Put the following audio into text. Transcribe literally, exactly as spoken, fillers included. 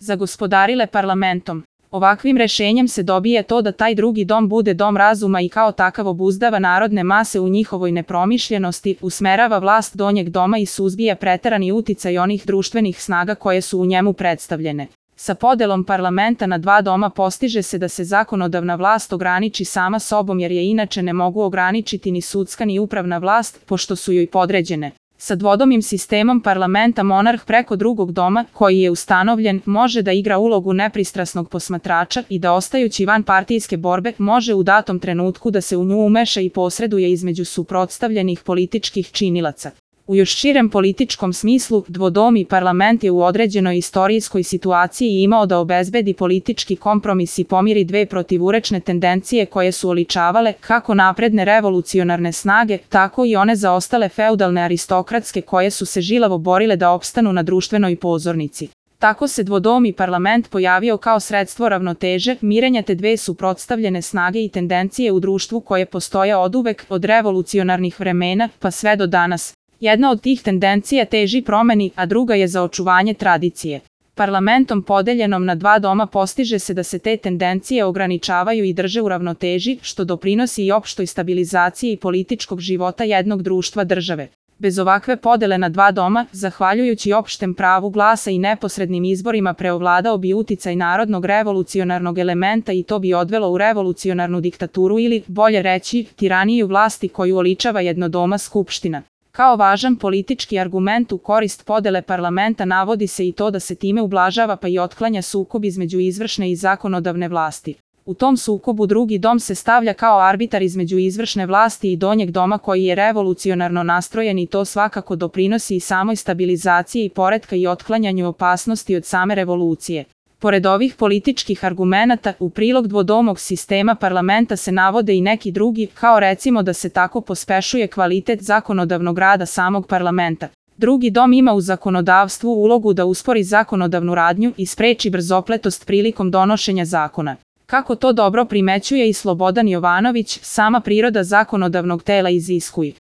zagospodarile parlamentom. Ovakvim rešenjem se dobije to da taj drugi dom bude dom razuma i kao takav obuzdava narodne mase u njihovoj nepromišljenosti, usmerava vlast donjeg doma i suzbija preterani uticaj onih društvenih snaga koje su u njemu predstavljene. Sa podelom parlamenta na dva doma postiže se da se zakonodavna vlast ograniči sama sobom jer je inače ne mogu ograničiti ni sudska ni upravna vlast, pošto su joj podređene. Sa dvodomim sistemom parlamenta monarh preko drugog doma, koji je ustanovljen, može da igra ulogu nepristrasnog posmatrača i da ostajući van partijske borbe može u datom trenutku da se u nju umeša i posreduje između suprotstavljenih političkih činilaca. U još širem političkom smislu, dvodomi parlament je u određenoj istorijskoj situaciji imao da obezbedi politički kompromis i pomiri dve protivurečne tendencije koje su oličavale kako napredne revolucionarne snage, tako i one zaostale feudalne aristokratske koje su se žilavo borile da opstanu na društvenoj pozornici. Tako se dvodomi parlament pojavio kao sredstvo ravnoteže, mirenja te dve suprotstavljene snage i tendencije u društvu koje postoje oduvek, od revolucionarnih vremena pa sve do danas. Jedna od tih tendencija teži promeni, a druga je za očuvanje tradicije. Parlamentom podeljenom na dva doma postiže se da se te tendencije ograničavaju i drže u ravnoteži, što doprinosi i opštoj stabilizaciji političkog života jednog društva države. Bez ovakve podele na dva doma, zahvaljujući opštem pravu glasa i neposrednim izborima preovladao bi uticaj narodnog revolucionarnog elementa i to bi odvelo u revolucionarnu diktaturu ili, bolje reći, tiraniju vlasti koju oličava jednodoma skupština. Kao važan politički argument u korist podele parlamenta navodi se i to da se time ublažava pa i otklanja sukob između izvršne i zakonodavne vlasti. U tom sukobu drugi dom se stavlja kao arbitar između izvršne vlasti i donjeg doma koji je revolucionarno nastrojen i to svakako doprinosi i samoj stabilizaciji poretka i otklanjanju opasnosti od same revolucije. Pored ovih političkih argumenata, u prilog dvodomog sistema parlamenta se navode i neki drugi, kao recimo da se tako pospešuje kvalitet zakonodavnog rada samog parlamenta. Drugi dom ima u zakonodavstvu ulogu da uspori zakonodavnu radnju i spreči brzopletost prilikom donošenja zakona. Kako to dobro primećuje i Slobodan Jovanović, sama priroda zakonodavnog tela iziskuje